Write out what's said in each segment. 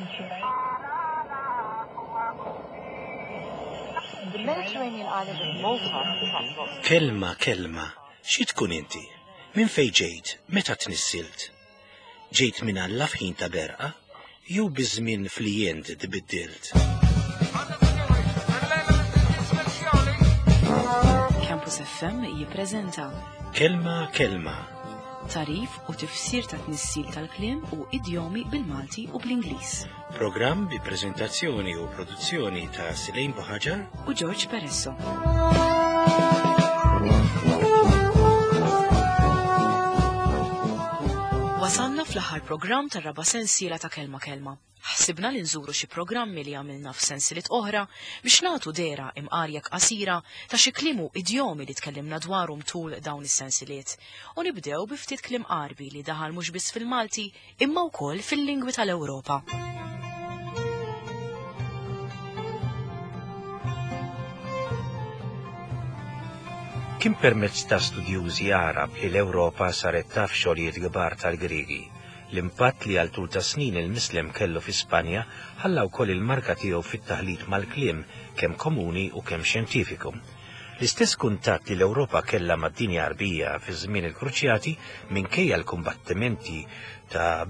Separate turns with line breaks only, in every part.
The Mediterranean island of Malta attracts lots
Kelma, kelma, xi tkun inti? Minn fejn ġejt, meta tnissilt? Ġejt minn Alla f'ħin ta' berqa, jew biż-żmien fli int tbiddilt?
Campus FM jippreżenta
Kelma, kelma,
tarif u tifsir ta' tnissil tal-kliem u idjomi bil-Malti u bl-Ingliż.
programm bi preżentazzjoni u produzzjoni ta' Silejn Buħaġar
U George Peresso. Wasalna fl-aħħar programm tar-raba' sensiela ta' Kelma Kelma. Ħsibna li nżuru xi programmi li għamilna f'sensiliet oħra biex nagħtu dehra imqarjek qasira ta' xi kliem u idjomi li tkellimna dwarhom tul dawn is-sensiliet. U nibdew bi ftit kliem Għarbi li daħal mhux biss fil-Malti imma wkoll fil-lingwi tal-Ewropa.
Kien permezz ta' studjużi Għarab li l-Ewropa saret taf xogħlijiet kbar tal-Griegi. L-impatt li għal tul ta' snin il-Mislem kellu fi Spanja ħalla wkoll il-marka tiegħu fit-taħlit mal-kliem kemm komuni u kemm xjentifiku. L-istess kuntatt li l-Ewropa kellha mad-dinja Għarbija fi żmien il-Kruċjati minkejja l-kumbattimenti ta'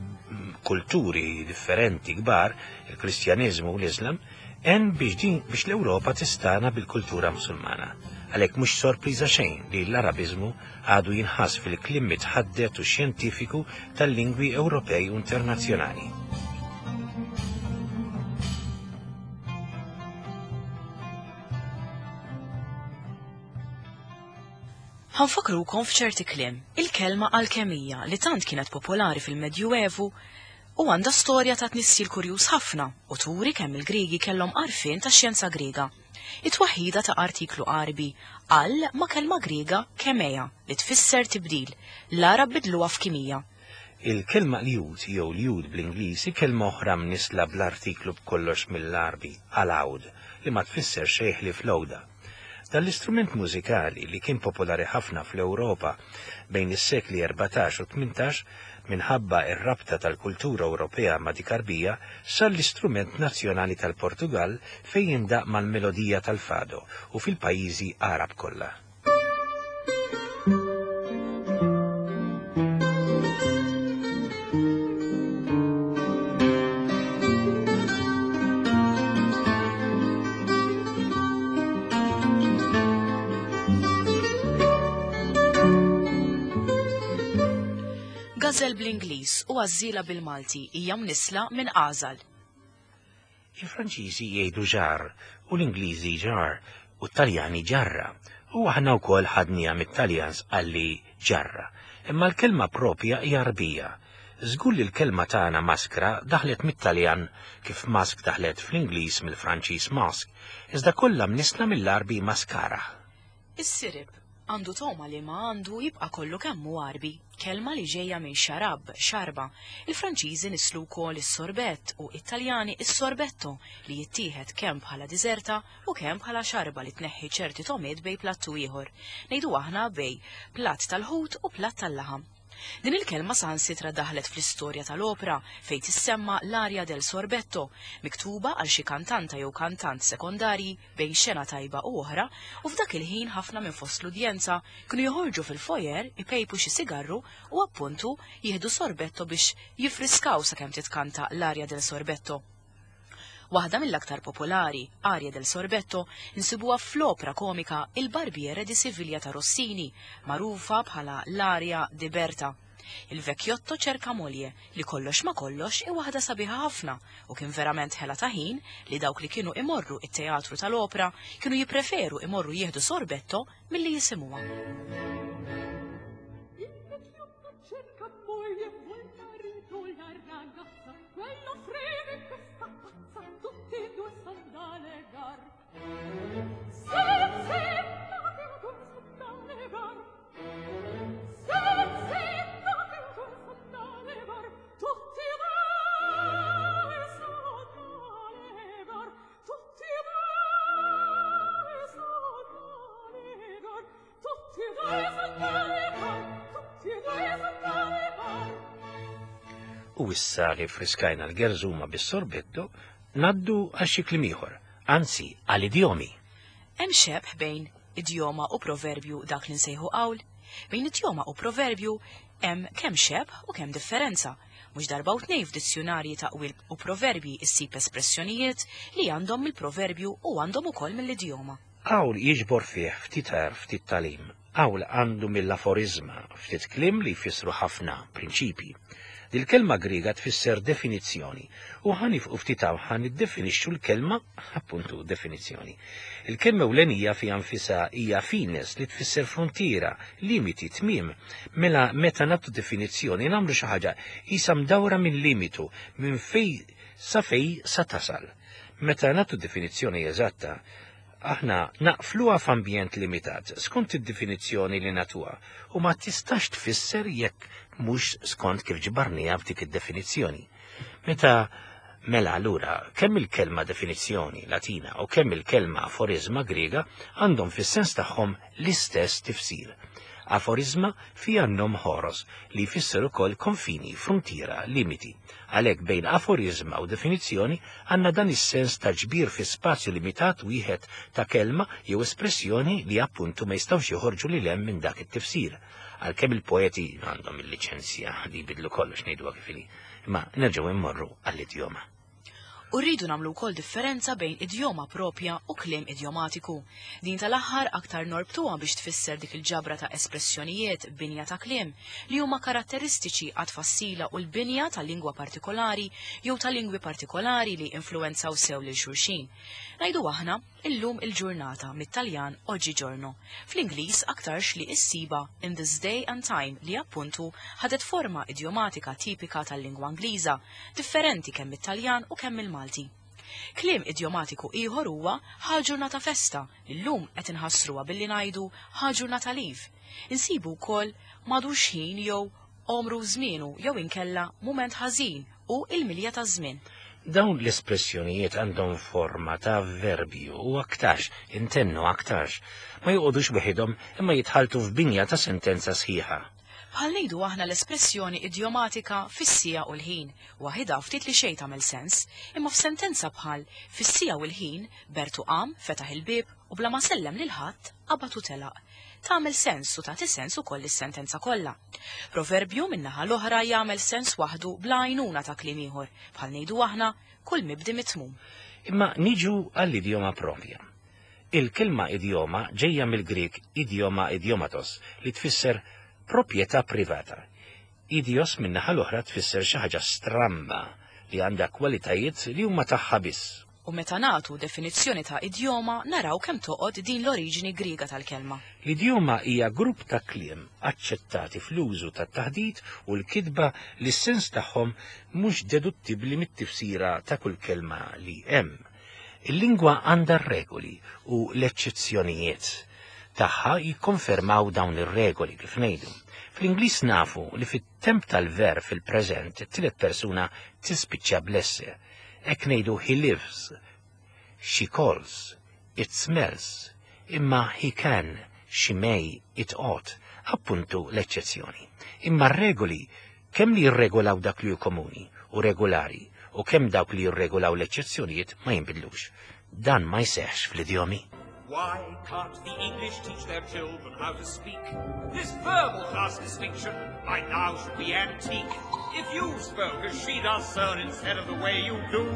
kulturi differenti kbar, il-Kristjaniżmu u l-Islam, għen biex din biex l-Ewropa tistana bil-kultura Musulmana. Għalhekk mhux sorpriża xejn li l-Arabiżmu għadu jinħass fil-kliem mitħaddet u xjentifiku tal-lingwi Ewropej u internazzjonali.
Ħanfakrukom f'ċerti kliem, il-kelma alkemija li tant kienet popolari fil-Medjuevu u għandha storja ta' tnissil kurjuż ħafna u turi kemm il-Griegi kellhom għarfien tax-xjenza Griega. It-twaħħida ta' artiklu Għarbi al ma' kelma Griega kemeja li tfisser tibdil, l-Għarab bidluha f'kimija.
Il-kelma ljud jew ljud bl-Ingliż hi kelma oħra mnissla bl-artiklu b'kollox mill-Għarbi, al-għawd, li ma tfisser xejn ħlief l-għuda. Dan l-istrument mużikali li kien popolari ħafna fl-Ewropa bejn is-sekli 14 u 18 minħabba r-rabta tal-kultura Ewropea ma' dik Għarbija sar l-istrument nazzjonali tal-Portugall fejn jindaqq mal-melodija tal-fado u fil-pajjiżi Għarab kollha.
Gażel bl-Ingliż u għażżiela bil-Malti hija mnissla minn għażal.
Il-Franċiżi jgħidu ġar u l-Ingliżi jar u t-Taljani ġarra. U aħna wkoll ħadniha mit-Taljan sqalli ġarra. Imma l-kelma propja hija Għarbija. Żgur li l-kelma tagħna maskra daħlet mit-Taljan kif mask daħlet fl-Ingliż mill-Franċiż mask, iżda kollha mnissla mill-Għarbi maskara.
Is-sirip għandu togħma li ma għandu jibqa' kollu kemm hu Għarbi, kelma li ġejja minn xarab, xarba. Il-Franċiżi nisslu wkoll is-sorbett u t-Taljani is-sorbetto li jittieħed kemm bħala diżerta u kemm bħala xarba li tneħħi ċerti togħmiet bejn platt u ieħor, ngħidu aħna bejn platt tal-ħut u platt tal-laħam. Din il-kelma saħansitra daħlet fl-istorja tal-opra fejn tissemma l-aria del sorbetto, miktuba għal xi kantanta jew kantant sekondarji bejn xena tajba u oħra u f'dak il-ħin ħafna minn fost l-udjenza kienu joħorġu fil-foyer ipejpu xi sigarru u appuntu jieħdu sorbetto biex jiffriskaw sakemm titkanta l-aria del sorbetto. Waħda mill-aktar popolari, Aria del Sorbetto, insibuha fl-opra komika Il Barbiere di Siviglia ta' Rossini, magħrufa bħala l-Aria di Berta. Il vecchiotto cerca moglie, li kollox ma' kollox hi waħda sabiħa ħafna u kien verament ħela ta' ħin li dawk li kienu imorru it-teatru tal-opra kienu jippreferu imorru jieħdu sorbetto milli jisimgħuha.
Il vecchiotto cerca moglie, vuol marito la ragazza, quello freme questa pazza, tutti e due son da legar. Se, se, tutti e due son da legar. Se, se, tutti e due son da legar, tutti e due son da legar, tutti e due son da legar, tutti e due son da legar, tutti e due son da legar.
U issa li friskajna l-gerżuma bis-sorbetto, ngħaddu għal xi kliem ieħor, anzi għal idjomi.
Hemm xebh bejn idjoma u proverbju dak li nsejħu qawl? Bejn idjoma u proverbju hemm kemm xebh u kemm differenza. Mhux darba u tnejn f'dizzjunarji ta' qwiel u proverbji issib espressjonijiet li għandhom mill-proverbju u għandhom ukoll mill-idjoma.
Qawl jiġbor fih ftit għerf, ftit tagħlim. Qawl għandu mill-aforiżma, ftit kliem li jfissru ħafna prinċipji. Dil-kelma Griega tfisser definizzjoni u ħa nifqu ftit hawn ħa niddefinixxu l-kelma appuntu definizzjoni. Il-kelma ewlenija fiha nfisha hija fines li tfisser fruntiera, limiti, tmiem. Mela meta nagħtu definizzjoni nagħmlu xi ħaġa qisha mdawra minn limitu, minn fejn sa fejn sa tasal. Meta nagħtu definizzjoni eżatta, aħna naqfluha f'ambjent limitat skont id-definizzjoni li nagħtuha u ma tistax tfisser jekk mhux skont kif ġbarniha f'dik id-definizzjoni. Meta mela allura kemm il-kelma definizzjoni Latina u kemm il-kelma aforizma Griega għandhom fis-sens tagħhom l-istess tifsir. Aforizma fiha n-nom ħoros li jfisser ukoll konfini, fruntiera, limiti. Għalhekk bejn aforizma u definizzjoni għandna dan is-sens ta' ġbir fi spazju limitat wieħed ta' kelma jew espressjoni li appuntu ma jistgħux joħorġu lil hemm minn dak it-tifsir. Għalkemm il-poeti għandhom il-liċenzja li jbidlu kollox ngħiduha kif inhi. Imma nerġgħu immorru għall-idjoma.
U rridu nagħmlu wkoll differenza bejn idjoma propja u kliem idjomatiku. Din tal-aħħar aktar norbtuha biex tfisser dik il-ġabra ta' espressjonijiet binja ta' kliem li huma karatteristiċi għat-tfassila u l-binja ta' lingwa partikolari jew ta' lingwi partikolari li influwenzaw sew lil xulxin. Ngħidu aħna, illum il-ġurnata, mit-Taljan oggigiorno. Fl-Ingliż aktarx li issibha in this day and time li appuntu ħadet forma idjomatika tipika tal-lingwa Ingliża, differenti kemm mit-Taljan u kemm mill-Malti. Kliem idjomatiku ieħor huwa ħa ġurnata festa li llum qed inħassruha billi ngħidu ħa ġurnata leave. Insibu wkoll m'għadux ħin jew għomru żmienu jew inkella mument ħażin u il-milja taż-żmien.
Dawn l-espressjonijiet għandhom forma ta' avverbju u aktarx, intennu aktarx, ma joqogħdux weħidhom imma jitħalltu f'binja ta' sentenza sħiħa.
Bħal ngħidu aħna l-espressjoni idjomatika fis-siegħa u l-ħin, waħidha ftit li xejn tagħmel sens, imma f'sentenza bħal fis-siegħa u l-ħin, Bertu qam, fetaħ il-bieb u bla ma sellem lil ħadd, qabad u telaq. Tagħmel sens u tagħti sens ukoll lis-sentenza kollha. Proverbju min-naħa l-oħra jagħmel sens waħdu bla għajnuna ta' kliem ieħor, bħal ngħidu aħna kull mibdi mitmum.
Imma niġu għall-idjoma propja. Il-kelma idjoma ġejja mill-Grieg idioma idiomatos li tfisser proprjetà privata. Idios min-naħa l-oħra tfisser xi ħaġa stramba li għandha kwalitajiet li huma tagħha biss.
U meta nagħtu definizzjoni ta' idjoma naraw kemm toqgħod din l-oriġini Griega tal-kelma.
L-idjoma hija grupp ta' kliem aċċettati fl-użu tat-taħdit u l-kitba li s-sens tagħhom mhux deduttibbli mit-tifsira ta' kull kelma li hemm. Il-lingwa għandha r-regoli u l-eċċezzjonijiet tagħha jikkonfermaw dawn ir-regoli kif ngħidu. Fl-Ingliż nafu li fit-temp tal-verb fil-preżent it-tielet persuna tispiċċa bl-esse. Hekk ngħidu he lives, she calls, it smells, imma he can, she may, it ought, appuntu l-eċċezzjoni. Imma r-regoli kemm li jirregolaw dak li hu komuni u regolari u kemm dawk li jirregolaw l-eċċezzjonijiet ma jinbidlux. Dan ma jseħħx fl-idjomi.
Why can't the English teach their children how to speak? This verbal class distinction by now should be antique. If you spoke as she does, sir, instead of the way you do,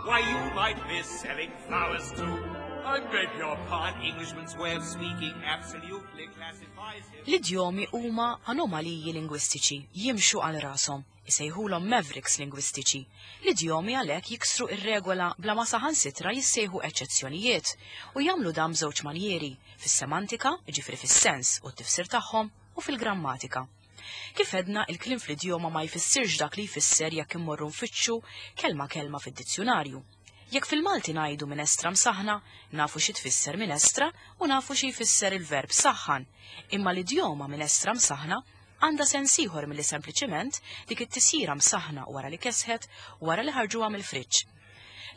why you might be selling flowers too. I beg your pardon, Englishman's way of speaking absolutely classifies him.
L-idjomi huma anomaliji lingwistiċi, jimxu għal rashom, isejħulhom mavericks lingwistiċi. L-idjomi għalhekk jiksru ir-regola bla ma saħansitra jissejħu eċċezzjonijiet u jagħmlu dan b'żewġ manjieri, fis-semantika, jiġifieri fis-sens u t-tifsir tagħhom, u fil-grammatika. Kif għedna, il-kliem fl-idjoma ma jfissirx dak li jfisser jekk immorru nfittxu kelma kelma fid-dizzjunarju. Jekk fil-Malti ngħidu minestra msaħħna, nafu xi tfisser minestra u nafu xi jfisser il-verb saħħan. Imma l-idjoma minestra msaħħna għandha sens ieħor milli sempliċiment dik it-tisjira msaħħna wara li kesħet wara li ħarġuha mill-friġġ.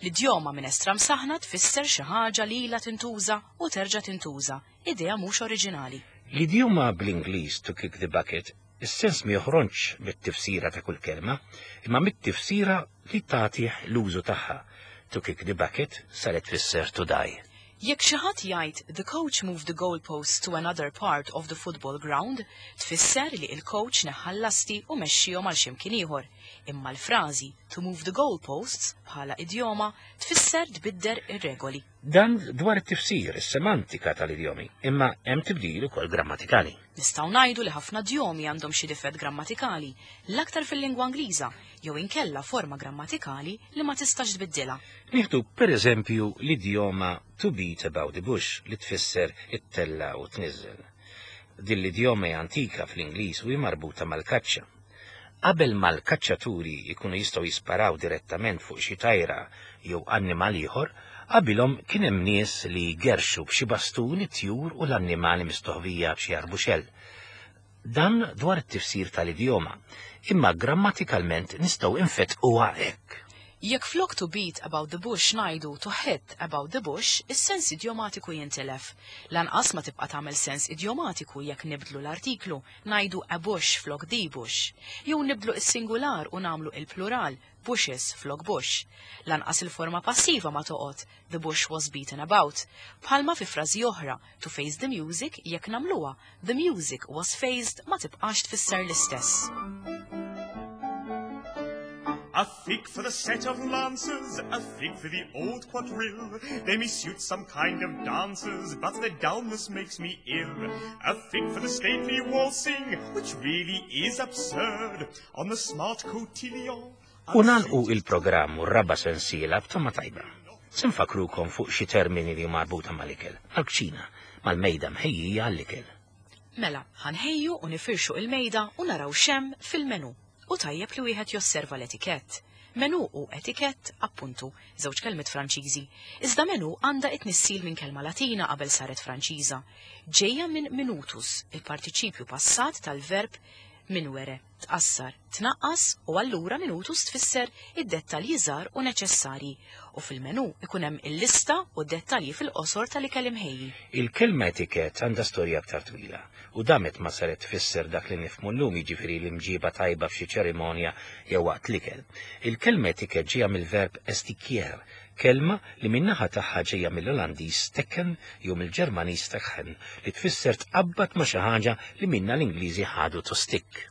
L-idjoma minestra msaħħna tfisser xi ħaġa li ilha tintuża u terġa' tintuża, idea mhux oriġinali.
L-idjoma bl-Ingliż to kick the bucket Is-sens ma joħroġx mit-tifsira ta' kull kelma, imma mit-tifsira li tagħtih l-użu tagħha. To kick the bucket saret tfisser to die.
Jekk xi ħadd jgħid the coach moved the goalposts to another part of the football ground, tfisser li il-coach neħħa l-lasti u mexxihom għal x'imkien ieħor. Imma l-frażi to move the goalposts bħala idjoma tfisser tbidder ir-regoli.
Dan dwar it-tifsir, is-semantika tal-idjomi, imma hemm tibdil ukoll grammatikali.
Nistgħu ngħidu li ħafna idjomi għandhom xi difett grammatikali, l-aktar fil-lingwa Ingliża, jew inkella forma grammatikali li ma tistax tbiddilha.
Nieħdu per eżempju l-idjoma to beat about the bush li tfisser ittella' u tniżżel. Din l-idjoma hija antika fl-Ingliż u hi marbuta mal-kaċċa. Qabel ma l-kaċċaturi jkunu jistgħu jisparaw direttament fuq xi tajra jew annimal ieħor, qabilhom kien hemm nies li jgerrxu b'xi bastun it-tjur u l-annimali mistoħbija f'xi arbuxell. Dan dwar it-tifsir tal-idjoma, imma grammatikalment nistgħu infettquha hekk.
Jekk flok to beat about the bush ngħidu to hit about the bush, is-sens idjomatiku jintilef. Lanqas ma tibqa' tagħmel sens idjomatiku jekk nibdlu l-artiklu, ngħidu a bush flok the bush. Jew nibdlu is-singular u nagħmlu il-plural, bushes flok bush. Lanqas il-forma passiva ma toqgħod, the bush was beaten about. Bħalma fi frażi oħra, to face the music jekk nagħmluha, the music was faced ma tibqax tfisser l-istess.
A fig for the set of lancers, a fig for the old quadrille. They may suit some kind of dancers, but their dullness makes me ill. A fig for the stately waltzing, which really is absurd, on the smart cotillon.
U nagħlqu il-programm u r-raba' sensiela b'tama tajba. Se nfakkrukom fuq xi termini li huma marbuta mal-ikel, mal-kċina, mal-mejda mħejjija għall-ikel.
Mela, ħa nħejju u nifirxu il-mejda u naraw x'hemm fil-menu. U tajjeb li wieħed josserva l-etikett. Menu u etikett, appuntu, żewġ kelmiet Franċiżi. Iżda menu għandha it-tnissil minn kelma Latina qabel saret Franċiża. Ġejja minn minutus, il-partiċipju passat tal-verb minuere, tqassar, tnaqqas u allura minutus tfisser id-dettalji żgħar u neċessarji. U fil-menu ikun hemm il-lista u d-dettalji fil-qosor tal-ikel imħejji.
Il-kelma etikett għandha storja aktar twila u damet ma saret tfisser dak li nifhmu llum jiġifieri l-imġiba tajba f'xi ċerimonja jew waqt l-ikel. Il-kelma etikett ġejja mill-verb estikier, kelma li min-naħa tagħha ġejja mill-Olandiż stekken jew mill-Ġermaniż stechen li tfisser tqabbad ma' xi ħaġa li minna l-Ingliżi ħadu to stick.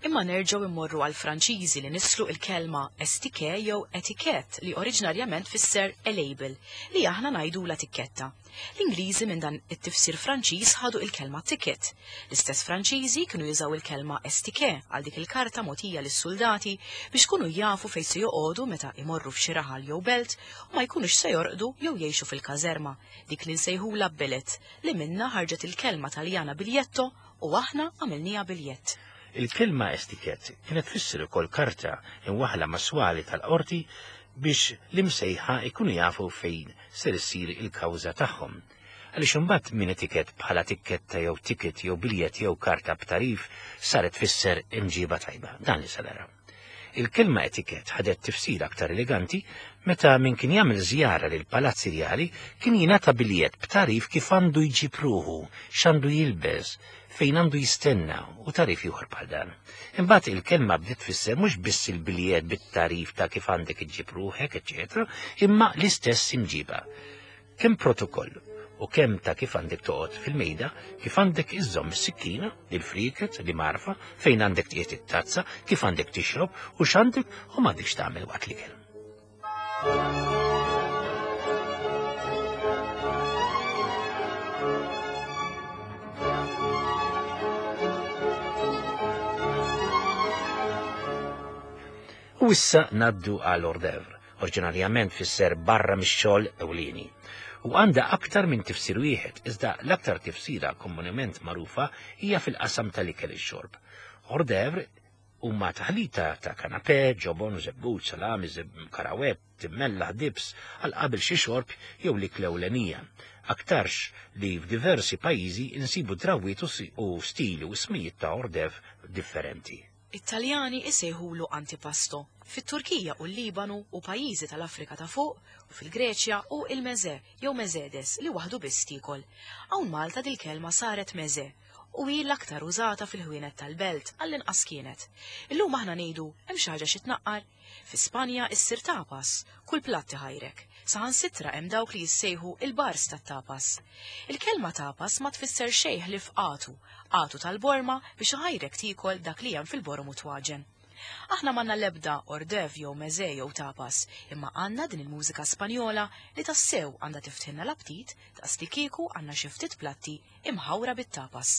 Imma nerġgħu immorru għal Franċiżi li nislu il-kelma estike jew etiquette li oriġinarjament tfisser a label li aħna ngħidula tikketta. L-Ingliżi minn dan it-tifsir Franċiż ħadu il-kelma ticket. L-istess Franċiżi kienu jużaw il-kelma estike għal dik il-karta mogħtija lis-soldati biex kunu jafu fejn se joqogħdu meta imorru f'xi raħal jew belt u ma jkunux se jorqdu jew jgħixu fil-każerma, dik li nsejħula billet li minna ħarġet il-kelma Taljana biglietto u aħna għamilniha biljett.
Il-kelma estiket kienet tfisser ukoll karta imwaħla mas-swali tal-qorti biex l-imsejħa ikunu jafu fejn ser issir il-kawża tagħhom. Għaliex imbagħad minn etikett bħala tikketta jew ticket jew biljett jew karta b'tarif saret tfisser imġiba tajba. Dan li se naraw. Il-kelma etikett ħadet tifsir aktar eleganti meta min kien jagħmel żjara lil palazzi rjali kien jingħata biljett b'tarif kif għandu jġib ruħu, x'għandu jilbes, fejn għandu jistenna u tarif ieħor bħal dan. Imbagħad il-kelma bdiet tfisser mhux biss il-biljett bit-tarif ta' kif għandek iġġib ruħek, eċetera, imma l-istess imġiba. Kemm protokoll u kemm ta' kif għandek toqgħod fil-mejda, kif għandek iżżomm is-sikkina, il-frieket, l-imgħarfa, fejn għandek tqiegħed it-tazza, kif għandek tixrob u x'għandek u m'għandekx tagħmel waqt l-ikel. U issa ngħaddu għal hors d'oeuvre, oriġinarjament fisser barra mix-xogħol ewlieni. U għandha aktar minn tifsir wieħed, iżda l-aktar tifsira komunement magħrufa hija fil-qasam tal-ikel ix-xorb. Hors d'oeuvre huma taħlita ta' kanapè, ġobon, żebbuġ, salami, karawett, immellaħ, dibs, għal qabel xi xorb jew l-ikla ewlenija. Aktarx li f'diversi pajjiżi insibu drawwiet u stili u ismijiet ta' hors d'oeuvre differenti.
It-Taljani isejħulu antipasto, fit-Turkija u l-Libanu u pajjiżi tal-Afrika ta' fuq u fil-Greċja u il-meze jew mezedes li waħdu biss tiekol. Hawn Malta dil-kelma saret meze. u hi l-aktar użata fil-ħwienet tal-belt, għall-inqas kienet. Illum aħna ngħidu hemm xi ħaġa xi tnaqqar? Fi Spanja issir tapas, kull platt iħajrek. Saħansitra hemm dawk li jissejħu il-bars tat-tapas. Il-kelma tapas ma tfisser xejn ħlief għatu, għatu tal-borma biex iħajrek tiekol dak li hemm fil-borom u twaġen. Aħna m'għandna l-ebda ordev jew meze jew tapas, imma għandna din il-mużika Spanjola li tassew għandha tiftħilna l-aptit daqs li kieku għandna xi ftit platti imħawra bit-tapas.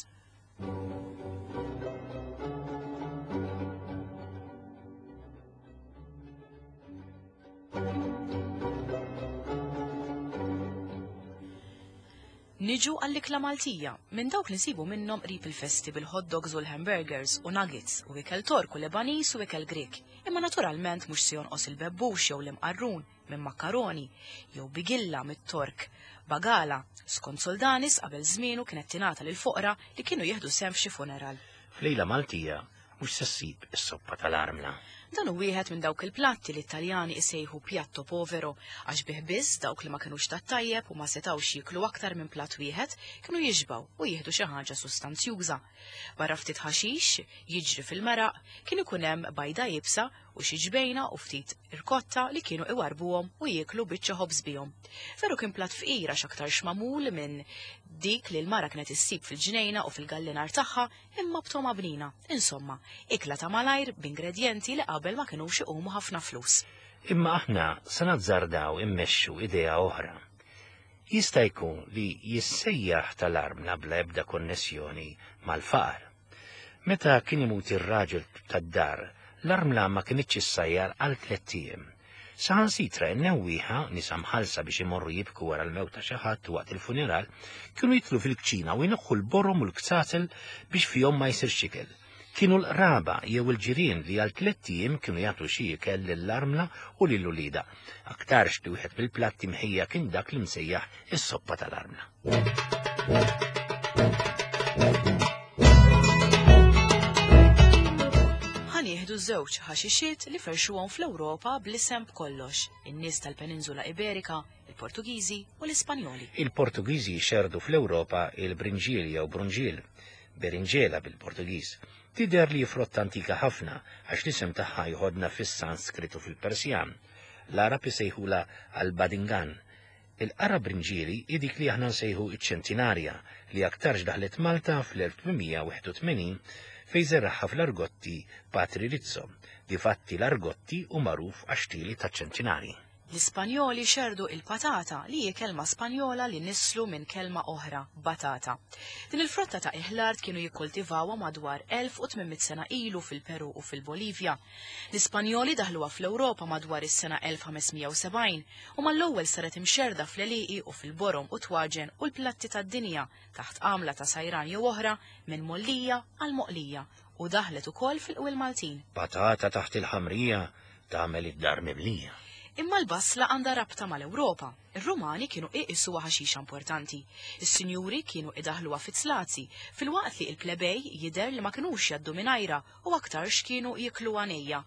Niġu għall-ikla Maltija, minn dawk li nsibu minnhom qrib il-festi bil-hot dogs u l-hamburgers u nuggets u ikel Tork u Lebaniż u ikel Grieg. Imma naturalment mhux se jonqos il-bebbux jew l-imqarrun minn makkaroni jew bigilla mit-Tork. Bagala, skont Soldanis qabel żmienu kienet tingħata lill-foqra li kienu jieħdu sehem f'xi funeral.
F'lejla Maltija mhux se ssib is-soppa tal-armla.
Dan hu wieħed minn dawk il-platti li t-Taljani isejħu piatto povero għax bih biss dawk li ma kinux tat-tajjeb u ma setgħux jieklu aktar minn platt wieħed kienu jixbgħu u jieħdu xi ħaġa sustanzjuża. Barra ftit ħaxix jiġri fil-meraq kien ikun hemm bajda iebsa u xi ġbejna u ftit irkotta li kienu iwarrbuhom u jieklu biċċa ħobż bihom. Veru kien platt fqir għax aktarx magħmul minn dik li l-mara kienet issib fil-ġnejna u fil-gallinar tagħha imma b'togħma bnina. Insomma, ikla ta' malajr b'ingredjenti li qabel ma kinux iqumu ħafna flus.
Imma aħna se nazzardaw immexxu idea oħra. Jista' jkun li jissejjaħ tal-armla bla ebda konnessjoni mal-faqar. Meta kien imut ir-raġel tad-dar, l-armla ma kinitx issajjar għal tlett ijiem. Saħansitra n-newwieħa, nisa mħallsa biex imorru jibku wara l-mewt ta' xi ħadd waqt il-funeral, kienu jidħlu fil-kċina u jneħħu l-borom u l-kzazel biex fihom ma jsirx ikel. Kienu l-qraba jew il-ġirien li għal tlett ijiem kienu jagħtu xi ikel lill-armla u lil uliedha. Aktarx li wieħed mill-platti mħejja kien dak li msejjaħ is-soppa tal-armla.
Ħa nieħdu żewġ ħaxixiet li ferxuhom fl-Ewropa bl-isem b'kollox, in-nies tal-Peninsula Iberika, il-Portugiżi u l-Ispanjoli.
Il-Portugiżi xerrdu fl-Ewropa il-brinġiel jew brunġiel, berinġela bil-Portugiż. Tidher li hi frotta antika ħafna għax l-isem tagħha jħodna fis-Sanskrit u fil-Persjan. L-Għarab isejħulha al-Badingan. Il-qara brinġieli hi dik li aħna nsejħu ċ-ċentinarja li aktarx daħlet Malta fl-1881 fejn żeragħha fl-Argotti Patri Rizzo. Difatti l-Argotti hu magħruf għax-xtieli taċ-ċentinarji.
L-Ispanjoli xerrdu il-patata, li hi kelma Spanjola li nisslu minn kelma oħra, batata. Din il-frotta ta' qiegħ l-art kienu jikkultivawha madwar 1800 sena ilu fil-Peru u fil-Bolivja. L-Ispanjoli daħluha fl-Ewropa madwar is-sena 1570 u mal-ewwel saret imxerrda fl-għelieqi u fil-borom u t-twaġen u l-platti tad-dinja taħt għamla ta' sajran jew oħra minn mgħollija għal moqlija u daħlet ukoll fil-qwiel Maltin.
Patata taħt il-ħamrija tagħmel id-dar mimlija.
Imma l-basla għandha rabta mal-Ewropa. Ir-Rumani kienu iqisuha ħaxixa importanti. Is-sinjuri kienu idaħħluha fit-slazi, filwaqt li l-plebej jidher li ma kinux jgħaddu mingħajrha u aktarx kienu jikluha nejja.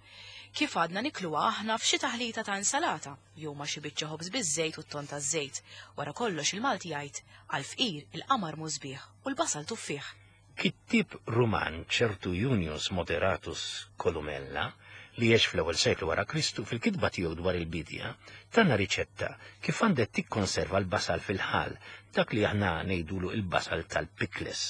Kif għadna nikluha aħna f'xi taħlita ta' insalata, jew ma' xi biċċa ħobż biż-żejt u t-tonn taż-żejt. Wara kollox il-Malti jgħid, Għall-fqir il-qamar mhu sbieħ u l-basal tuffieħ.
Kittieb Ruman ċertu Junius Moderatus Columella, li għex fl-ewwel seklu wara Kristu, fil-kitba tiegħu dwar il-biedja, tana riċetta kif għandek tikkonserva l-basal fil-ħall, dak li aħna ngħidulu l-basal tal-pikles.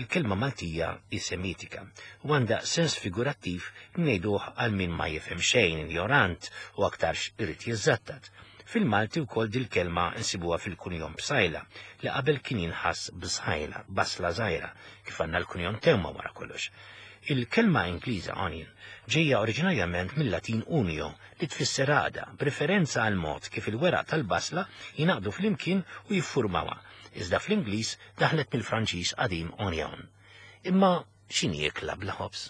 Il-kelma Maltija hi Semitika u għandha sens figurattiv li ngħiduh għal min ma jifhem xejn, injorant u aktarx irid jiżżattat. Fil-Malti wkoll dil-kelma nsibuha fil-kunjom Psajla, li qabel kien jinħass bżajla, basla żgħira, kif għandna l-kunjom Teuma wara kollox. Il-kelma Ingliża onion ġejja oriġinarjament mil-Latin unio li tfisser għaqda, b'riferenza għall-mod kif il-weraq tal-basla jingħaqdu flimkien u jiffurmawha, iżda fl-Ingliż daħlet mill-Franċiż qadim onion. Imma x'inhi ikla bla ħobż?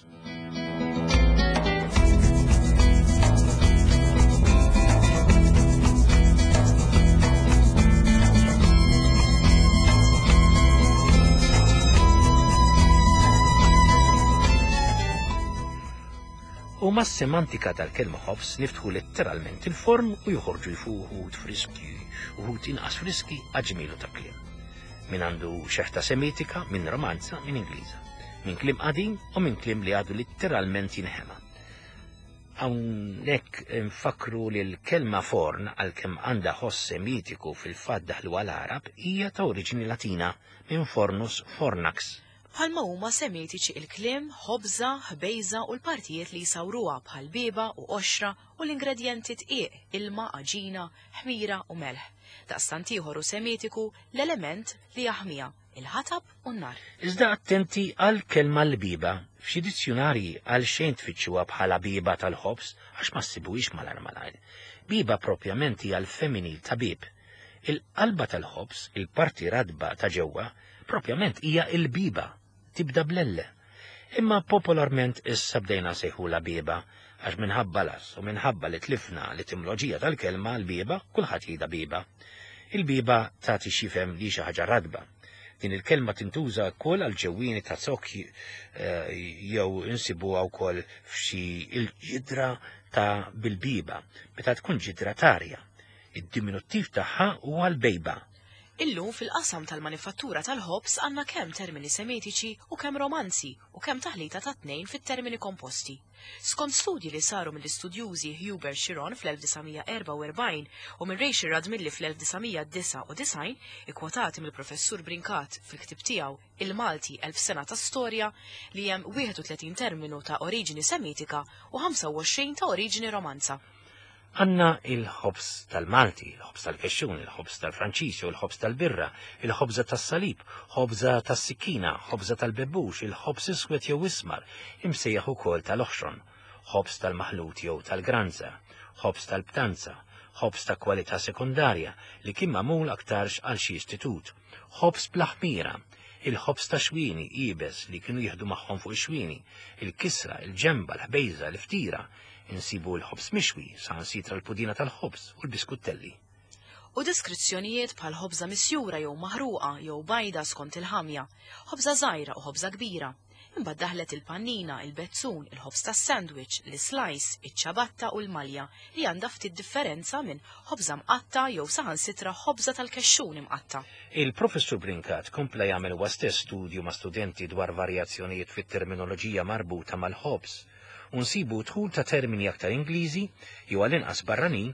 U mas-semantika tal-kelma ħobż niftħu letteralment il-forn u joħorġu jfuħu wħud friski, uħud inqas friski għaġmielu ta' kliem. Min għandu xeħta Semitika, min Romanza, min Ingliża. Min kliem qadim u min kliem li għadu litteralment jinħema. Hawnhekk nfakkru li l-kelma forn għalkemm għandha ħoss Semitiku fil-fatt daħluha l-Għarab hija ta' oriġini Latina minn fornus fornax.
Bħalma huma Semitiċi il-kliem ħobża, ħbejża u l-partijiet li jsawruha bħal bieba u qoxra u l-ingredjenti dqiq, ilma, għaġina, ħmira u melħ. Daqstant ieħor hu Semitiku l-element li jaħmiha, il-ħatab u n-nar.
Iżda attenti għall-kelma l-bieba. F'xi dizzjunarji għalxejn tfittxuha bħala bieba tal-ħobż għax ma ssibuhiex malajr malajr. Bieba propjament hija l-femminil ta' bieb. Il-qalba tal-ħobż, il-parti ratba ta' ġewwa, propjament hija l-bieba, tibda bl-L. Imma popolarment issa bdejna nsejħulha bieba għax minħabba l-ass u minħabba li tlifna l-etimoloġija tal-kelma l-bieba kulħadd jgħidha bieba. Il-bieba tagħti x'jifhem li hi xi ħaġa ratba. Din il-kelma tintuża wkoll għal ġewwieni ta' zokk jew insibuha wkoll f'xi il-ġidra ta' bil-bieba meta tkun ġidra t'arja. Id-diminuttiv tagħha huwa l-bejba.
Illum fil-qasam tal-manifattura tal-ħobż għandna kemm termini Semitiċi u kemm Romanzi u kemm taħlita tat-tnejn fit-termini komposti. Skont studji li saru mill-istudjużi Hubert Chiron fl-1944 u minn Rachel Radmilli fl-1999, ikkwotati mill-Professur Brincat fil-ktieb tiegħu Il-Malti Elf Sena ta' Storja, li hemm 31 terminu ta' oriġini Semitika u 25 ta' oriġini Romanza.
Għandna il-ħobż tal-Malti, il-ħobż tal-kexxun, il-ħobż tal-Franċiż jew il-ħobż tal-birra, il-ħobża tas-salib, ħobża tas-sikkina, ħobża tal-bebbux, il-ħobż iswed jew ismar, imsejjaħ ukoll tal-oħxon, ħobż tal-maħlut jew tal-granza, ħobż tal-btanza, ħobż ta' kwalità sekondarja li kien magħmul aktarx għal xi istitut, ħobż bla ħmira, il-ħobż ta' xwieni iebes li kienu jieħdu magħhom fuq ix-xwieni, il-kisra, il-ġenba, l-ħbejża, l-iftira, Insibu l-ħobż mixwi, saħansitra l-pudina tal-ħobż u l-biskuttelli.
U deskrizzjonijiet bħal ħobża misjura jew maħruqa jew bajda skont il-ħamja, ħobża żgħira u ħobża kbira. Imbagħad daħlet il-pannina, il-bezzun, il-ħobż tas-sandwich, l-islice, iċ-ċabatta u l-malja li għandha ftit differenza minn ħobża mqatta' jew saħansitra ħobża tal-kexxun imqatta'.
Il-Professur Brincat kompla jagħmel huwa stess studju ma' studenti dwar varjazzjonijiet fit-terminoloġija marbuta mal-ħobż. u nsibu dħul ta' termini aktar Ingliżi jew għall-inqas barranin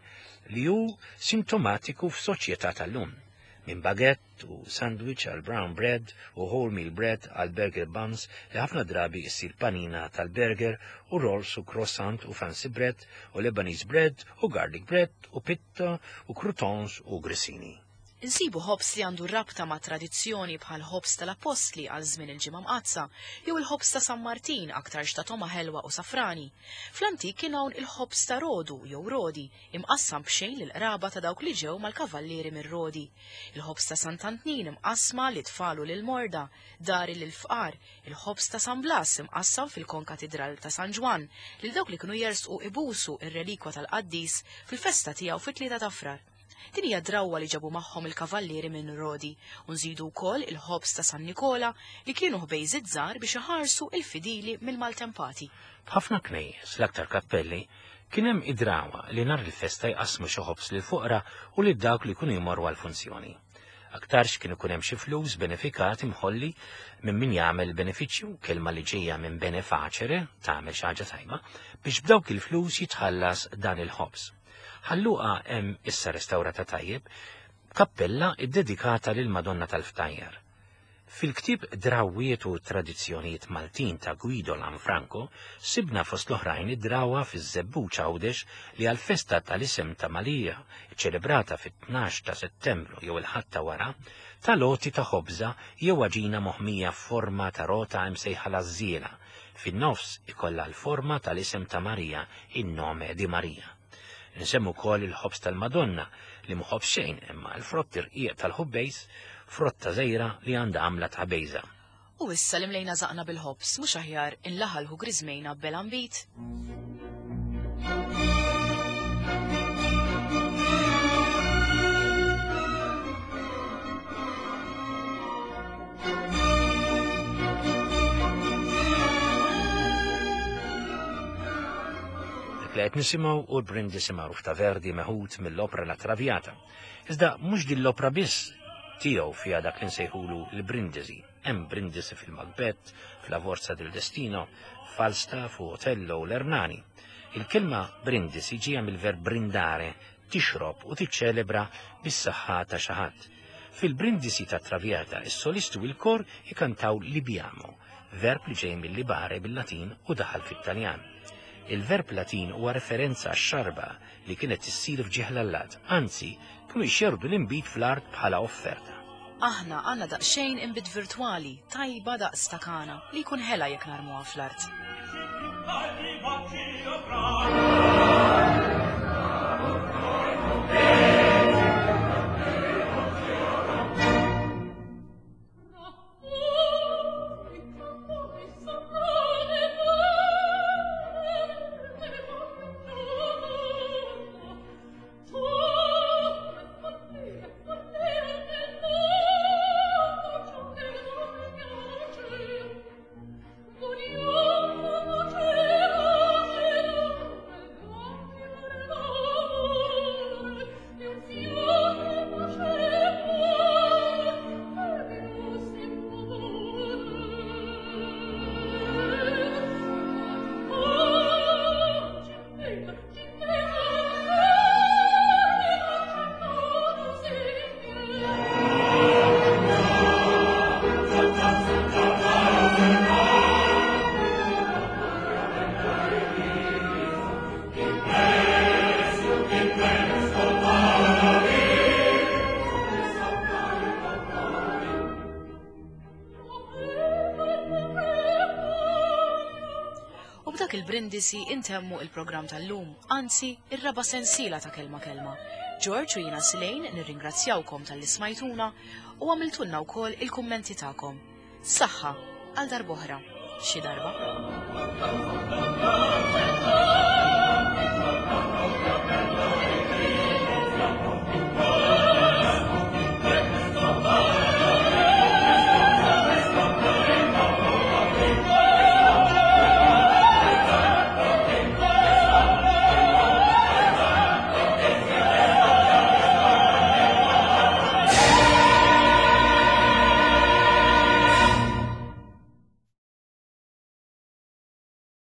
li hu sintomatiku f'soċjetà tal-lum. Minn baguette u sandwich għal brown bread u wholemeal bread għal burger buns li ħafna drabi issir panina tal-burger u rolls u croissant u fancy bread u Lebanese bread u garlic bread u pitta u croutons u grissini.
Insibu ħobż li għandu rabta ma' tradizzjoni bħall-ħobż tal-Appostli għal żmien il-Ġimgħa Mqaddsa, jew il-ħobż ta' San Martin aktarx ta' togħma ħelwa u safrani. Fl-antik kien hawn il-ħobż ta' Rodu jew Rodi, imqassam b'xejn lill-qraba ta' dawk li ġew mal-kavallieri minn Rodi. Il-ħobż ta' Sant'Antnin imqassma lit-tfal u lill-morda, dari lill-fqar, il-ħobż ta' San Blas imqassam fil-Konkatidral ta' San Ġwann lil dawk li kienu jersqu ibusu r-relikwa tal-qaddis fil-festa tiegħu fit-Tlieta ta' Frar. Din hija drawwa li ġabu magħhom il-kavallieri minn Rodi, u nżidu wkoll il-ħobż ta' San Nikola li kienu ħbejżiet żgħar biex iħarsu il-fidili mill-maltempati.
F'ħafna knejjes, l-aktar kappelli, kien hemm id-drawwa li nhar il-festa jqassmu xi ħobż lill-foqra u lil dawk li jkunu jmorru għall-funzjoni. Aktarx kien ikun hemm xi flus benefikat imħolli minn min jagħmel benefiċċju, kelma li ġejja minn bene facere, tagħmel xi ħaġa tajba, biex b'dawk il-flus jitħallas dan il-ħobż. Ħal Luqa hemm issa restawrata tajjeb kappella ddedikata lill-Madonna tal-Ftajjar. Fil-ktieb Drawwiet u Tradizzjonijiet Maltin ta' Guido Lanfranco sibna fost l-oħrajn id-drawwa fiż-Żebbuġ Għawdex li għall-festa tal-isem ta' Malija, iċċelebrata fit-tnax ta' Settembru jew il-Ħadd ta' wara, tal-għoti ta' ħobża jew għaġina moħmija f'forma ta' rota imsejħa l-għażżiela, fin-nofs ikollha l-forma tal-isem ta' Marija, in nome di Maria. Insemmu wkoll il-ħobż tal-Madonna li mhu ħobż xejn imma l-frott irqiq tal-ħubbejż, frotta żgħira li għandha għamla ta' ħbejża.
U issa li mlejna żaqna bil-ħobż, mhux aħjar inlaħalħu griżmejna b'belambit?
Dak li qed nisimgħu hu l-Brindisi magħruf ta' Verdi meħud mill-opra La Traviata. Iżda mhux din l-opra biss tiegħu fiha dak li nsejħulu l-brindisi. Hemm brindisi fil-Macbeth, f'La Forza del Destino, Falstaff u Otello u l-Ernani. Il-kelma brindisi ġejja mill-verb brindare, tixrob u tiċċelebra bis-saħħa ta' xi ħadd. Fil-brindisi ta' Traviata, is-solisti u l-kor ikantaw libiamo, verb li ġej mill-libare bil-Latin u daħal fit-Taljan. Il-verb Latin huwa referenza għax-xarba li kienet issir f'ġieħ l-allat, anzi, kienu jxerrdu l-inbid fl-art bħala offerta.
Aħna għandna daqsxejn inbid virtwali, tajba daqs ta' Kana, li jkun ħela jekk narmuha fl-art. U b'dak il-brindisi intemmu il-programm tal-lum, anzi ir-raba' sensiela ta' Kelma Kelma. George u jiena Slane nirringrazzjawkom talli smajtuna u għamiltulna wkoll il-kummenti tagħkom. Saħħa għal darb'oħra, xi darba.